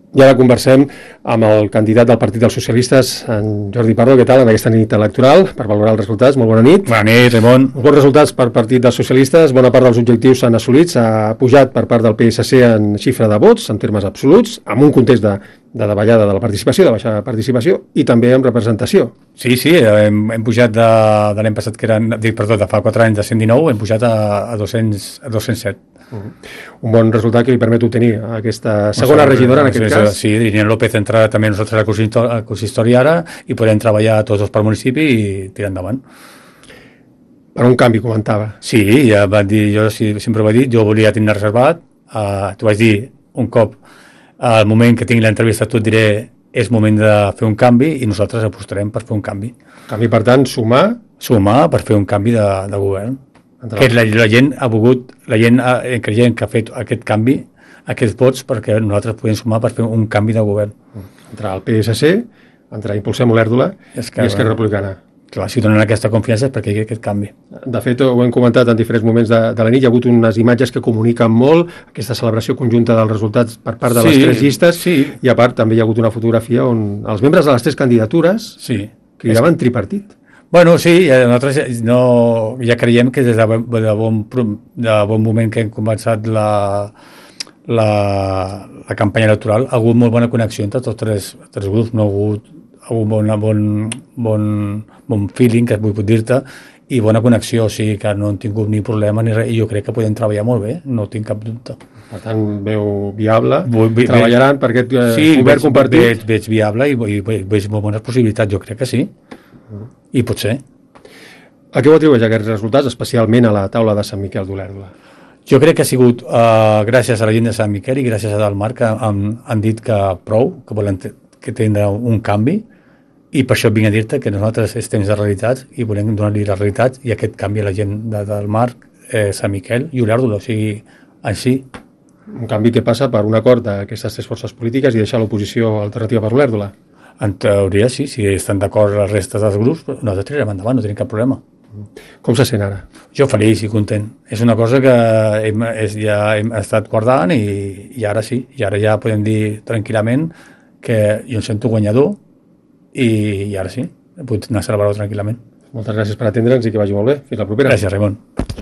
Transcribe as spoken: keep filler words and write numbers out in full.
I ara conversem amb el candidat del Partit dels Socialistes, en Jordi Pardo. Què tal en aquesta nit electoral? Per valorar els resultats, molt bona nit. Bona nit, Ramon. Uns bons resultats per Partit dels Socialistes, bona part dels objectius s'han assolit, s'ha pujat per part del P S C en xifra de vots, en termes absoluts, amb un context de, de davallada de la participació, de baixa participació, i també amb representació. Sí, sí, hem, hem pujat de, de l'any passat, que eren, dic, perdó, de fa quatre anys, de cent dinou, hem pujat a, a, dos-cents, a dos-cents set. Uh-huh. Un bon resultat que li permet obtenir aquesta segona no, regidora en aquest sí, cas. Sí, Irene López entra també nosaltres al consistori ara i podem treballar tots dos per municipi i tirar endavant. Per un canvi, comentava. Sí, ja va dir, jo sí, sempre ho he dit, jo volia tenir reservat, uh, t'ho vaig dir un cop, al moment que tingui l'entrevista et diré és moment de fer un canvi i nosaltres apostarem per fer un canvi. Canvi, per tant, sumar? Sumar per fer un canvi de, de govern. Que la, la gent ha volgut, la gent ha, que gent que ha fet aquest canvi, aquests vots, perquè nosaltres podem sumar per fer un canvi de govern. Entre el P S C, entre Impulsem Olèrdola i Esquerra Republicana. Clar, si donen aquesta confiança és perquè hi ha aquest canvi. De fet, ho hem comentat en diferents moments de, de la nit, hi ha hagut unes imatges que comuniquen molt, aquesta celebració conjunta dels resultats per part de les sí, tres llistes, sí. I a part també hi ha hagut una fotografia on els membres de les tres candidatures sí. cridaven tripartit. Bueno, sí, nosaltres no, ja creiem que des de, de, bon, de bon moment que hem començat la, la, la campanya electoral ha hagut molt bona connexió entre tots tres, tres grups, no ha hagut, ha hagut bon, bon, bon, bon feeling, que vull dir-te, i bona connexió, o sigui que no hem tingut ni problema ni res, i jo crec que podem treballar molt bé, no tinc cap dubte. Per tant, veu viable, Vull, ve, treballaran per aquest eh, sí, govern compartit? Sí, veig, veig viable i, i veig molt bones possibilitats, jo crec que sí. I pot ser. A què ho atribueix aquests resultats, especialment a la taula de Sant Miquel d'Olèrdola? Jo crec que ha sigut uh, gràcies a la gent de Sant Miquel i gràcies a Dalmar que han, han dit que prou, que volen que tindrà un canvi, i per això vinc a dir-te que nosaltres estem de realitats i volem donar-li les realitats i aquest canvi a la gent de Dalmar, eh, Sant Miquel i Olèrdola, o sigui, així. Un canvi que passa per un acord d'aquestes tres forces polítiques i deixar l'oposició alternativa per Olèrdola? En teoria sí, si estan d'acord les restes dels grups, nosaltres tirarem endavant, no tenim cap problema. Com se sent ara? Jo feliç i content. És una cosa que hem, és, ja hem estat guardant i, i ara sí, i ara ja podem dir tranquil·lament que jo em sento guanyador i, i ara sí, puc anar a celebrar-ho tranquil·lament. Moltes gràcies per atendre'ns i que vagi molt bé. Fins la propera. Gràcies, Raimon.